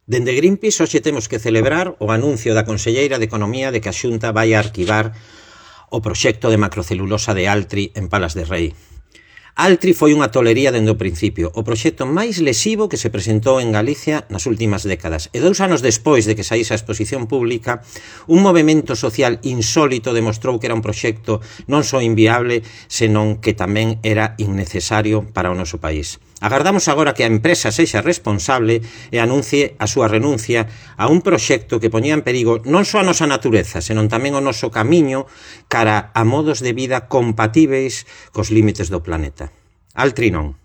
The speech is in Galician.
Dende Greenpeace hoxe temos que celebrar o anuncio da conselleira de Economía de que a Xunta vai a arquivar o proxecto de macrocelulosa de Altri en Palas de Rei. Altri foi unha tolería dende o principio, o proxecto máis lesivo que se presentou en Galicia nas últimas décadas. E 2 anos despois de que saíse a exposición pública, un movemento social insólito demostrou que era un proxecto non só inviable, senón que tamén era innecesario para o noso país. Agardamos agora que a empresa sexa responsable e anuncie a súa renuncia a un proxecto que poñía en perigo non só a nosa natureza, senón tamén o noso camiño cara a modos de vida compatíveis cos límites do planeta. Altri non.